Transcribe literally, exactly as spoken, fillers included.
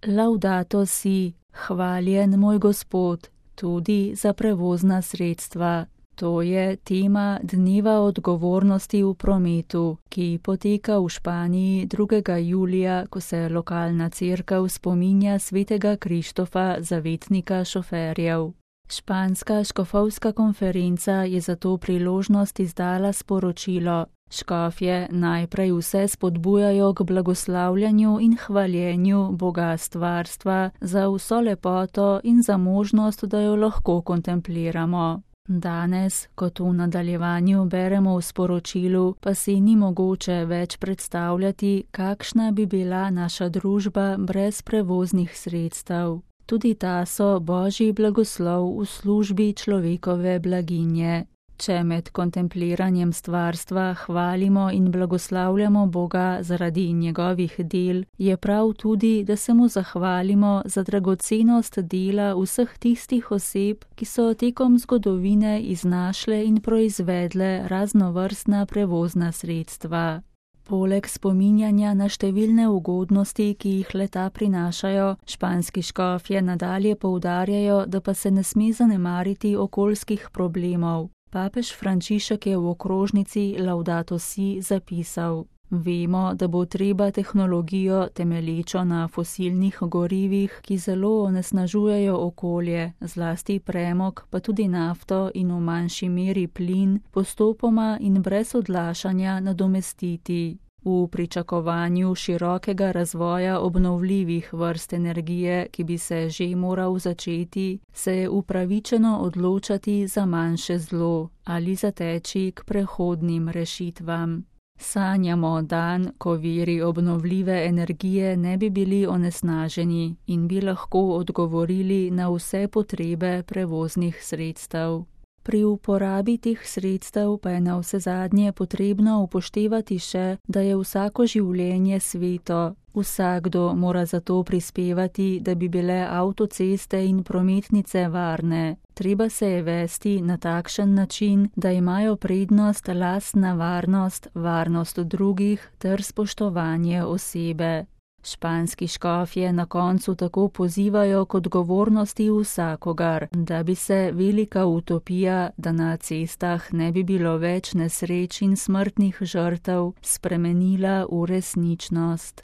Laudato si, hvaljen moj Gospod, tudi za prevozna sredstva. To je tema Dneva odgovornosti v prometu, ki poteka v Španiji drugega julija, ko se lokalna cerkev spominja svetega Krištofa, zavetnika šoferjev. Španska škofovska konferenca je za to priložnost izdala sporočilo. Škofje najprej vse spodbujajo k blagoslavljanju in hvaljenju Boga stvarstva za vso lepoto in za možnost, da jo lahko kontempliramo. Danes, kot v nadaljevanju beremo v sporočilu, pa si ni mogoče več predstavljati, kakšna bi bila naša družba brez prevoznih sredstev. Tudi ta so Božji blagoslov v službi človekove blaginje. Če med kontempliranjem stvarstva hvalimo in blagoslavljamo Boga zaradi njegovih del, je prav tudi, da se mu zahvalimo za dragocenost dela vseh tistih oseb, ki so tekom zgodovine iznašle in proizvedle raznovrstna prevozna sredstva. Poleg spominjanja na številne ugodnosti, ki jih leta prinašajo, španski škofje nadalje poudarjajo, da pa se ne sme zanemariti okoljskih problemov. Papež Frančišek je v okrožnici Laudato si zapisal: Vemo, da bo treba tehnologijo temelječo na fosilnih gorivih, ki zelo onesnažujejo okolje, zlasti premog, pa tudi nafto in v manjši meri plin, postopoma in brez odlašanja nadomestiti. V pričakovanju širokega razvoja obnovljivih vrst energije, ki bi se že moral začeti, se je upravičeno odločati za manjše zlo ali zateči k prehodnim rešitvam. Sanjamo dan, ko viri obnovljive energije ne bi bili onesnaženi in bi lahko odgovorili na vse potrebe prevoznih sredstev. Pri uporabi teh sredstev pa je navsezadnje potrebno upoštevati še, da je vsako življenje sveto. Vsakdo mora zato prispevati, da bi bile avtoceste in prometnice varne. Treba se je vesti na takšen način, da imajo prednost lastna varnost, varnost drugih ter spoštovanje osebe. Španski škofje na koncu tako pozivajo k odgovornosti vsakogar, da bi se velika utopija, da na cestah ne bi bilo več nesreč in smrtnih žrtev, spremenila v resničnost.